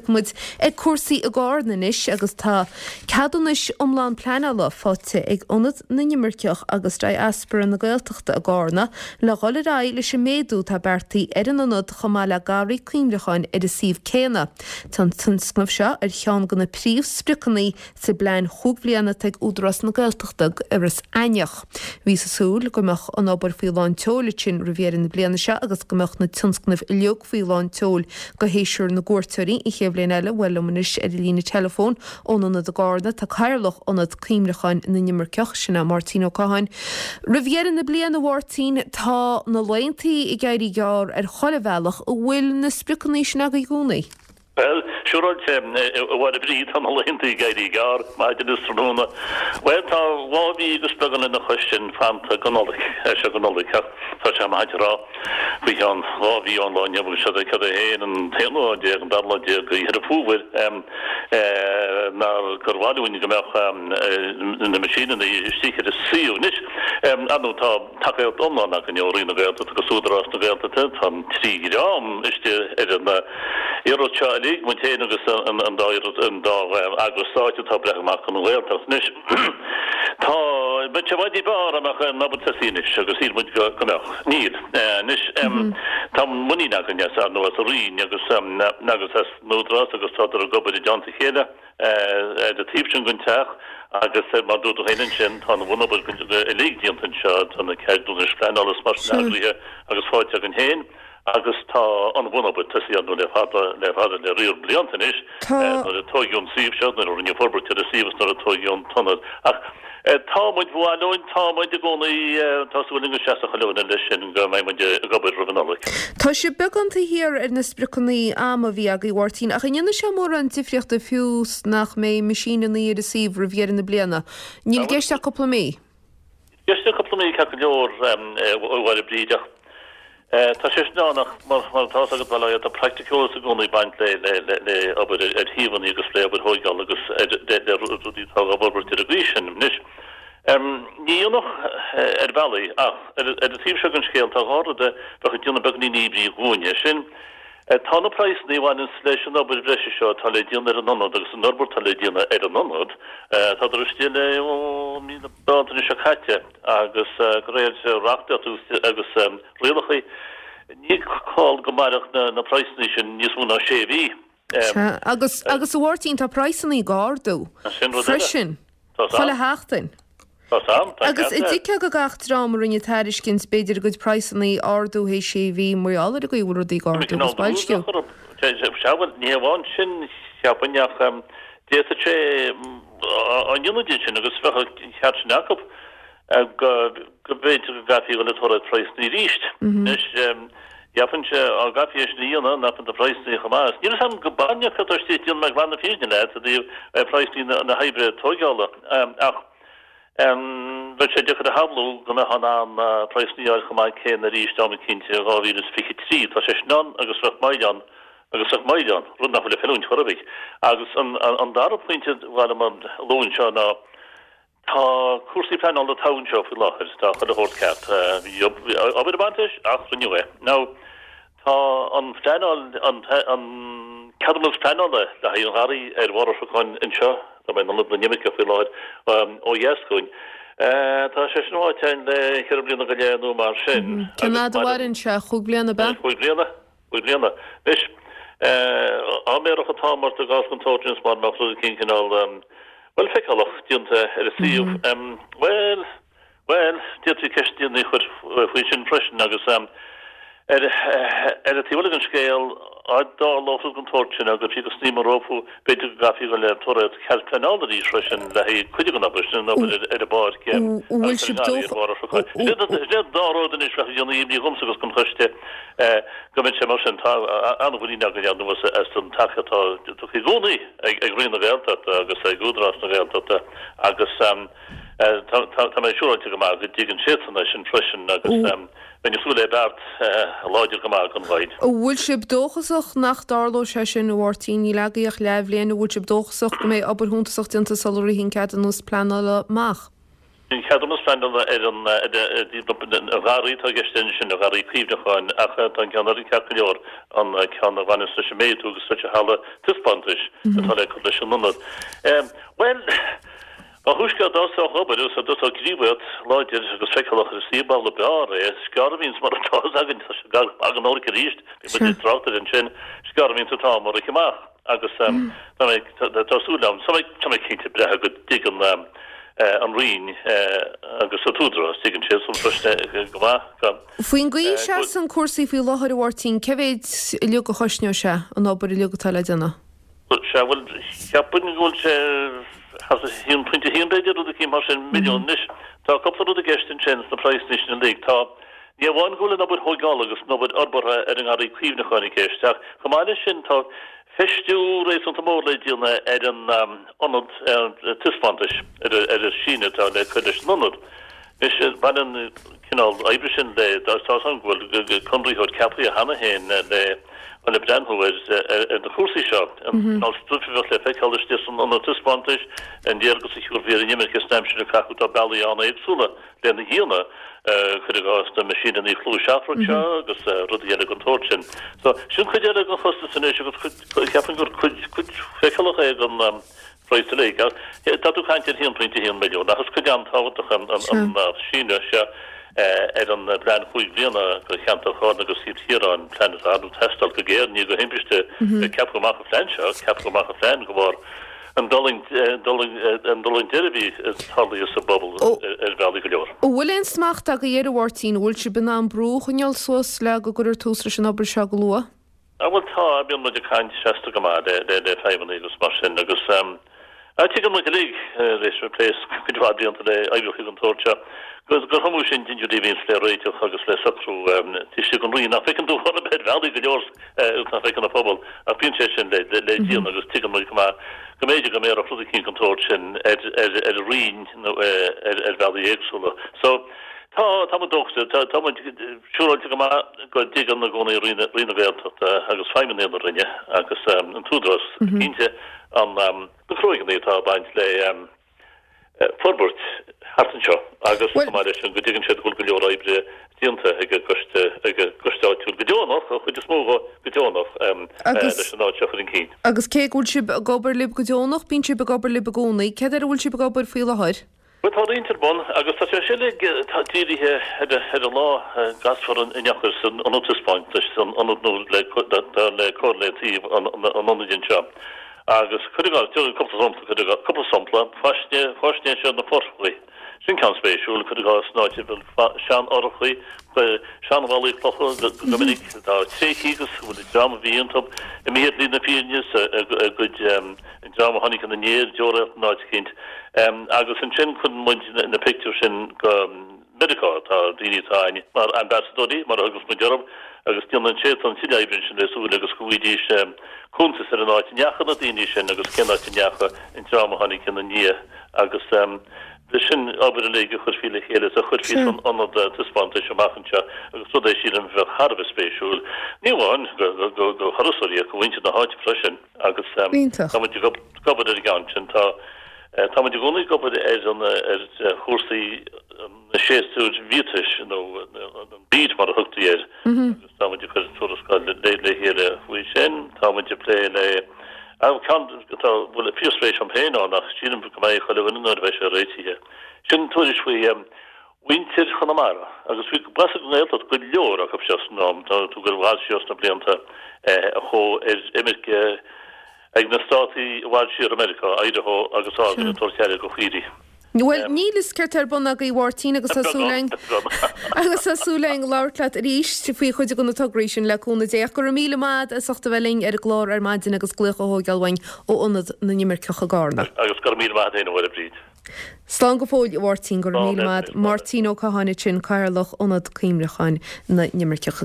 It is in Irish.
tiocfaidh muid ag cúrsaí i gCarna anois agus tá ceadúnas iomlán pleanála faighte ag Ionad na nImirceach agus Diaspora na Gaeltachta i gCarna le dhul ar aghaidh leis an méadú atá beartaithe ar an ionad chomh maith le garraí cuimhneacháin ar an suíomh céanna. Tá an tionscnamh seo ar cheann de na príomhspriocanna sa bplean chúig bhliana atá ag Údarás na Gaeltachta d'Iorras Aithneach. Bhíothas ag súil go mbeadh an obair faoi lán tseoil ansin roimh dheireadh na bliana seo agus go mbeadh na tionscnaimh uilig faoi lán tseoil go shéasúr na gcuairteoirí an chéad bhliain eile. Bhuel liom anois ar an líne teileafóin ón Ionad i gCarna tá Cathaoirleach Ionad Cuimhneacháin na nImirceach, sin é Máirtín Ó Catháin. Roimh dheireadh na bliana, a Mháirtín, tá na laethantaí ag éirí gearr ar chuile bhealach, an bhfuil na spriocanna sin agaibh i gcónaí? Bhuel, siúráilte, a Mháire Bríd, tá na laethanta ag éirí gearr, maidin is tráthnóna. Bhuel, tá dhá mhí agus beagán lena chois sin fanta go Nollaig, sea, go Nollaig, ach tá sé maith a rá, faoi cheann dhá mhí ón lá inniu, agus seo é cad é féin, an t-aonú lá déag, an dara lá déag de Dheireadh Fómhair, ná gur mhaith linn go mbeadh na meaisíneanna istigh ar an suíomh. Anois, ar ndóigh, tá tacaíocht iomlán againn ó Roinn na Gaeltachta agus Údarás na Gaeltachta, tá an trí dhream istigh ar an iarracht seo uilig, muid féin agus an dá an dá eagras stáit atá ag breith amach don Ghaeltacht. Anois, tá, bheadh sé i bhfad ní b'fhearr dá mbeadh an obair tosaithe anois agus shíl muid go mbeadh. Níl. Anois, tá muinín againn as, ar ndóigh, as an Roinn agus agus as an Údarás agus tádar ag obair i dteannta a chéile ar an taobh sin den teach agus mar dúirt tú féin ansin, tá an bhunobair uilig déanta anseo, tá na ceadúnais pleanála is mar sin eagraithe agus faighte againn féin agus tá an bhunobair tosaithe ar ndóigh le fada, le fada, le riar blianta anois nuair a tóigeadh an suíomh seo, nuair a rinneadh forbairt ar an suíomh is nuair a tóigeadh an t-ionad. Ach tá muid, ba mhaith linn, tá muid i gcónaí, tá súil linn go seasfaidh chuile dhuine leis sin go mbeidh muid ag obair roimh an Nollaig. Tá sibh beagán taobh thiar ar na spriocanna ama a bhí agaibh, a Mháirtín, ach an ndéanfaidh sé mórán difríochta fiú 's nach mbeidh meaisíneanna ar an suíomh roimh dheireadh na bliana? Níl i gceist ach cúpla mí. I gceist ach cúpla mí ceart go leor, a Mháire Bríd, ach tá sé sin ann ach mar atá fhios agat, bhuel, tá praiticiúlacht i gcónaí ag baint le obair ar shuíomhanna agus le obair thóigeála agus le rudaí atá á bhforbairt ar an gcaoi sin. Anois, ní dhéanfadh ar bhealaí ach ar an taobh seo den scéal tá dhá rud a bheadh ag déanamh beagáinín imní dhúinne, sin, Tá na praghsanna a bhaineanns leis an obair bhreise seo atá le déanamh ar an ionad agus an fhorbairt atá le déanamh ar an ionad, tádar istigh le ó mí na Bealtaine seo caite agus de réir reachtaíocht agus rialacha ní call go mairfeadh na praghsanna sin níos mó ná sé mhí. Sea, agus, agus a Mháirtín, tá praghsanna ag ardú freisin, chuile sheachtain. Tá sam, tá Agus ceart air. tuigfeá do gach dream a rinne tairiscint, b'fhéidir a gcuid praghsanna a ardú théis sé mhí, mar gheall ar an gcaoi a bhfuil rudaí ag ardú agus boilsciú. Sea, bhuel, ní hamháin sin, cheapfainn, ach d'fhéadfadh sé á ndéanamh din sin agus bheadh an ceart sin acu go b'fhéidir go gcaithfí a dhul ag tóraíocht praghsanna arís. Anois, Cheapfainnse, dá gcaithfí é sin a dhéanamh, nach mbeadh na praghsanna chomh maith. Níl a fhios agam go baineadh cad tá istigh, déanfaidh mé glan na fírinne leat i dtaobh praghsanna na hoibre tóigeála, ach bheadh sé deacair a shamhlú go mbeifeá in ann praghsanna a fháil chomh maith céanna arís am eicínt i 2023. Tá sé sin ann agus bheadh moill ann agus bheadh moill ann, rud nach bhfuil ag feiliúint chor ar bith. Agus an dara pointe a mhaith liom a lua anseo ná, Tá cúrsaí pleanála togha anseo faoi láthair, tá chuile shórt ceart. Bhí obair ag baint leis ach rinneadh é. Now, tá an phleanáil, an ceadúnas pleanála le haghaidh an gharraí ar bharr an Chnocáin anseo, tá mé in Ionad na nImirceach faoi láthair, ó dheas dhúinn, tá sé sin faighte againn le ceithre bliana go leith nó mar sin. Cén fhad a mhaireann sé? Chúig bliana, ab ea? Chúig bliana. Cúig bliana. Anois, dá mbéarfadh an t-am ort i gcás den tsórt sin is mar mbeadh rud eicínt cineál, bhuel, feiceálach déanta ar an suíomh, bhuel, bhuel, d'fhéadfaí ceisteanna a chur faoi sin freisin agus ar ar an taobh eile den scéal, dá dtarlódh rud den tsórt sin agus fiú go snaidhm rompu, b'fhéidir go gcaithfí a dhul ag tóraíocht cead pleanála arís freisin le haghaidh cuid den obair sin, an obair ar an bpáirc agus ar an ngarraí ar bharr an Chnocáin. Sin iad an dá rud anois a bheadh ag déanamh imní dhomsa agus don choiste. Go mbeidh sé mar sin, tá an-mhuinín againn ar ndóigh as an tacaíocht atá tugtha i gcónaí ag Roinn na Gaeltachta agus ag Údarás na Gaeltachta agus tá mé siúráilte go maith go dtuigeann siadsan é sin freisin agus bheinn ag súil le beart láidir go maith don Roinn. An bhfuil sibh dóchasach nach dtarlóidh sé sin, a Mháirtín? Níl agaibh ach leathbhliain, an bhfuil sibh dóchasach go mbeidh obair shuntasach déanta sula ritheann ceadúnas pleanála amach? An ceadúnas pleanála ar an ngarraí atá i gceist ansin, an garraí cuimhneacháin, ach tá an ceann eile ceart go leor, an ceann a bhaineas leis an méadú agus leis an halla taispeántais atá le cur leis an ionad. Bhuel, ba thúisce a dtosódh obair agus a dtosódh gníomhaíocht láidir agus feiceálach ar an suíomh b'amhlaidh b'fhearr é. Is gearr a bhíonns mar atá fhios againn, tá sé gar go maith don Nollaig arís, bhí muid ag trácht air ansin, is gearr a bhíonns an t-am ag rith amach. Agus tá súil agam, tá mé cinnte breithe go dtuigeann an Roinn agus an tÚdarás, tuigeann siad san freisin go maith go. Faoin gcaoi a seasann cúrsaí faoi láthair, a Mháirtín, cé mhéid uilig a chosnóidh sé, an obair uilig atá le déanamh? Sea, bhuel, cheapfainn go bhfuil sé thart ar 1.1 b'fhéidir, rud eicínt mar sin, milliún. Anois, tá cúpla rud i gceist ansin sna praghsanna sin uilig. Tá, ní amháin go bhfuil an obair thóigeála agus an obair fhorbartha ar an ngarraí cuimhneacháin i gceist, ach chomh maith leis sin tá feistiú réasúnta mór le déanamh ar an ionad taispeántais, ar an síneadh atá le cur leis an ionad. Anois, baineann an cineál oibre sin le, tá a fhios agam go bhfuil conraitheoir ceaptha cheana féin le le breathnú ar na cúrsaí seo, an cineál stuif a bheadh le feiceáil istigh san ionad taispeántais, an léargas a thabharfaí ar an imirce san aimsir a caitheadh, tá bealaí an-éagsúla lena dhéanamh, cuir i gcás na meaisíneanna clú seafrach seo agus rudaí eile den tsórt sin. So, sin cuid eile den chostas anois agus cuid, cheapfainn gur cuid, cuid feiceálach é den phraghas uilig. Tá tú ag caint ar 1.1 milliún ach is cuid an-tábhachtach an síneadh seo ar an bplean chúig bliana do cheantar Chárna agus Chill Chiaráin, plean atá ag teastáil go géar, ní de thimpiste a ceapadh amach an phlean seo, ceapadh amach an phlean de bharr An dtullaingt deiridh a bhí tarlaithe sa bpobal ar bhealaí go leor. An bhfuil aon smacht agaibh air, a Mháirtín? An bhfuil sibh in ann brú a choinneáil suas le go gcuirfear tús leis an obair seo go luath? Á bhuel tá, bíonn muid ag caint seasta go maith le feidhmeannaigh agus mar sin agus tuigeann muid uilig, tar éis plé cuid mhaith blianta le oibreacha den tsórt seo, gur iomaí sin dintiúirí a bhíonns le réiteach agus le socrú taobh istigh den Roinn nach bhfeiceann tú ar bhealaí go leor. agus nach bhfeiceann an pobal, ach bíonn sé sin le déanamh agus tuigeann muid go maith go mb'fhéidir go mbéarfadh rud eicínt den tsórt sin ar ar an Roinn nó ar bhealaí éagsúla. So, tá, tá muid dóchasach, tá, tá muid siúráilte go maith go dtuigeann i gcónaí Roinn, Roinn na Gaeltachta agus feidhmeannaigh na Roinne agus an tÚdarás cinnte an, na cruóigeanna atá ag baint le forbairt thart anseo agus chomh maith leis sin go dtuigeann siad go bhfuil go leor oibre déanta ag an gcoiste, ag an gcoiste áitiúil go deonach, an chuid is mó dho go deonach, leis an áit seo a chur chun cinn. Agus cé go bhfuil sibh ag obair libh go deonach, bíonn sibh ag obair libh i gcónaí, céard air a bhfuil sibh ag obair faoi láthair? Bhuel tá roinnt ar bun agus tá sé sin uilig dírithe ar an lá a gcasfar an eochair san ionad taispeántais, san ionad nua le le cur le taobh an ionaid anseo. Agus cuir i gcás, cúpla sampla, cuir i gcás, cúpla sampla, faisné, faisnéis ar na fothrachaí. Sin ceann spéisiúil, cuir i gcás, in áit a bhfuil seanfhothrachaí, seanbhallaí clocha go, go minic, atá tréigthe agus go bhfuil an dream a bhí iontu imithe ar shlí na fírinne is a gcuid, an dream a tháinig ina ndiaidh ag deoraíocht in áit eicínt. Agus ansin cuireann muid na pictiúir sin go. Meiriceá. Tá daoine atá againn mar ambasadóirí, mar a thugas muid orthu, agus déanann siadsan tuilleadh oibre ansin le súil agus go bhfaighidís cuntas ar an áit a ndeachaigh na daoine sin agus cén áit a ndeachaigh an dream a tháinig ina ndiaidh agus sin obair uilig a chuirfí le chéile is a chuirfí san ionad taispeántais amach anseo agus rud é sílim a bheadh thar a bheith spéisiúil, ní amháin do thurasóirí ach do mhuintir na háite freisin agus tá muid ag obair ar an gceann sin. Tá. Tá muid i gcónaí ag obair ar an ar chúrsaí na séasúir bhiatais nó an bíd mar a thugtaí air agus tá muid ag cur tuarascáil le le chéile faoi sin. Tá muid ag plé le ceann atá bhfuil fíorspéis agam féin ann ach sílim go mbeidh chuile dhuine nuair a bheidh sé réitithe. Sin tuairisc faoi mhuintir Chonamara agus bhí b'as an nGaeltacht go leor acu seo san am tá tú ag gabháil siar sna blianta a chuaigh ar imirce Ag na státaí i bhfad siar i Meiriceá, Idaho agus Oregon ag tabhairt aire do chaoirigh. Bhuel, níl fhios céard tá ar bun agaibh, a Mháirtín, agus tá súil againn agus tá súil againn labhairt leat arís faoi chuid de na tograí sin le cúnamh Dé. Ach go raibh míle maith agat as ucht a bheith linn ar an gclár ar maidin agus glaoch a thóigeáil uainn ó Ionad na nImirceach i gCarna. Agus go raibh míle maith agat féin, a Mháire Bríd. Slán go fóill, a Mháirtín, go raibh míle maith agat. Máirtín Ó Catháin ansin, Cathaoirleach Ionad Cuimhneacháin na nImirceach.